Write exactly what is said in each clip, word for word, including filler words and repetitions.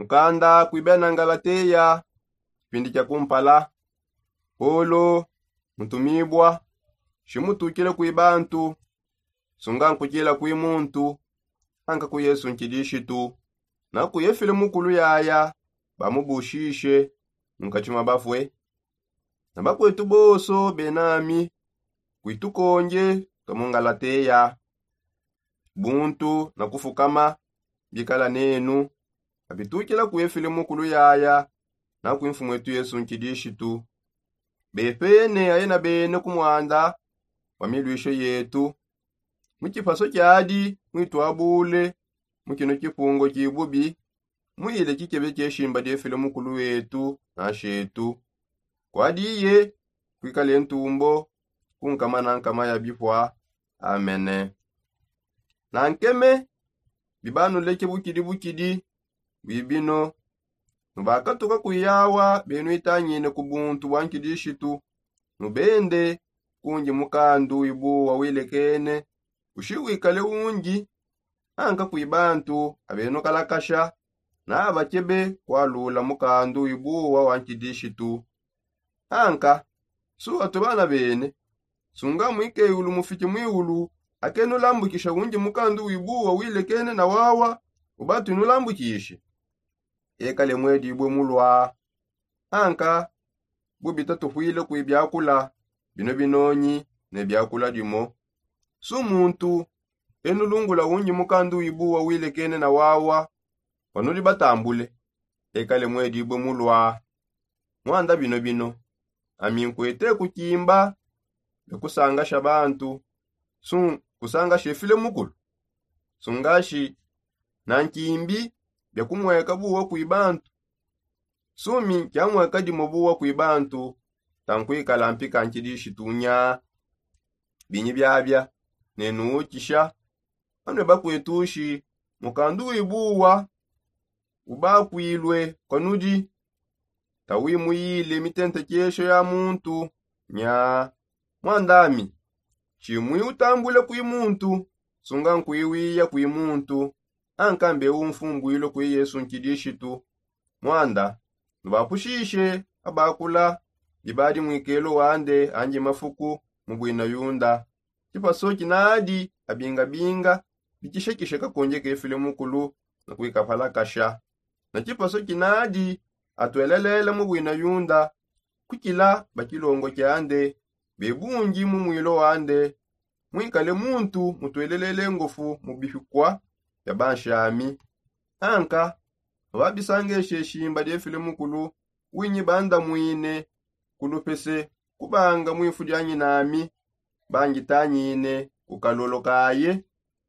Mukanda kuibena ngalateya. Kipindi kia kumpala. Polo mutumibua. Shimutukile kui bantu. Sunga nkukila kui muntu anka ku yesu nkidishitu. Na kuyefile mukulu yaya bamubushishe munkati mwa bafue. Na bakwetu bonso benami kuitukonje twa mu ngalateya. Buntu na kufukama bikala nenu abitukila kuefile mukulu yaya na kuimfumu etu yesu nkidishitu. Bepene aye na bene ku mwanda wa milwisho yetu. Mu kipaso kiadi mwituabule mu kino kipungo kibubi. Mwile kikebe kieshimba diefile mukulu wetu na shetu. Kwadi iye kwikale ntumbo ku nkama na nkama ya bipua. Amene. Na nkeme bibanuleke bukidi bukidi bwibino. Nubakatuka kuyawa benuitangine ku buntu bwa nkidishitu. Nubende kunji mukandu wibuwa wilekene ushi wikale unji. Anka kwi bantu abenukalakasha na abakebe kwalula mukandu wibuwa wa nkidishitu. Anka su atu bana bene. Sunga mwikeyulu mufike mwiulu akenulambukisha unji mukandu wibuwa wilekene na wawa ubatu inulambukishe. Ekale mwedibue mulwa. Anka bubita tufwile kwi biakula bino binonyi ne biakula dimo. Su muntu enulungula unji mukandu wibuwa wilekene na wawa wanudi batambule. Ekale mwedibue mulwa. Mwanda bino bino ami nkwete kukimba bia kusangasha bantu. Su kusangasha efile mukulu. Sungashi na nkimbi bia kumweka buwa kwi bantu. Sumi kiamweka dimo buwa kwi bantu. Tankwikala mpika nkidishitunya. Binyi biabia nenuukisha. Anue bakwetushi mukandu wibuwa ubakwilue kwanudi. Tawimuyile mitentekesho ya muntu nya. Mwandami shimwi utambule kwi muntu. Sunga nkwiwiya kwi muntu anka mbeu mfumbwilue kwi yesu nkidishitu. Mwanda nubapushishe abakula bibadi mwikelo wande anji mafuku mu bwina yunda. Kipaso kinadi abingabinga bikishekishe kakonje kefile mukulu na kwikapalakasha. Na kipaso kinadi atwelelela mu bwina yunda kukila bakilongo kiande bebungi mu mwilo wande. Mwikale muntu mutwelelele ngofu mu bipikua bia banshami. Anka ababisangeshe shimba diefile mukulu winyi bandamwine ku lupese kubanga mwifu dianyinami. Bangitanyine ku kalolo kaye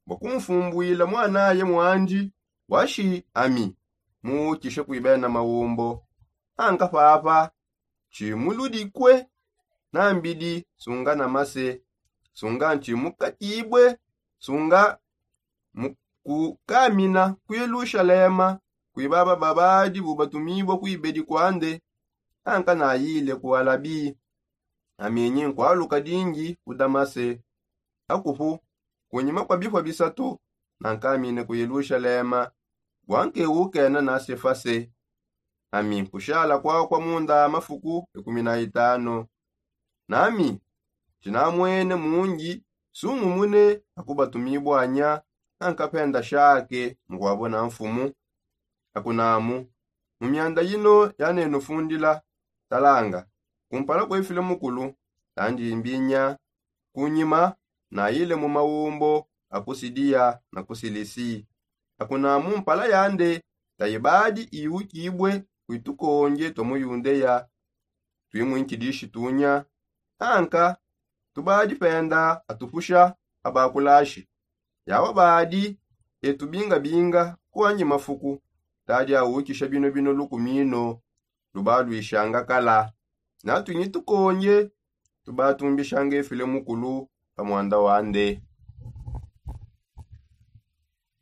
bua kumfumbwila mwanaye mwandi. Washi ami muukishe kwi bena maumbo. Anka papa tshimuludikue na mbidi sunga na mase. Sunga ntshimukatibue sunga mukukamina ku yelushalema kwi baba babadi bubatumibua kuibedi kuande. Anka nayile ku alabi aminyi nkualuka dingi ku damase. Akupu kunyima kua bipua bisatu nankamine ku yelushalema bua nkewukena na sefase. Ami kushala kuakua munda mafuku ikumi na itano. Nami tshinamwene mungi sungumune akubatumibua nya ankapenda shake mukuabona mfumu. Akunamu mu mianda yino yanenufundila talanga kumpala kuefile mukulu tandimbinya. Kunyima nayile mu maumbo a ku sidiya na ku silisi. Akunamu mpala yande tayibadi iwukibue kwi tukonje tua mu yundeya. Tuimwinkidishi tunya anka tubadi penda atupusha abakulashi. Yawa badi etu bingabinga kuanyi mafuku tadi awukisha bino bino lukumino lubaluishanga kala. Natuinyi tukonje tubatumbishanga efile mukulu pa mwanda wande.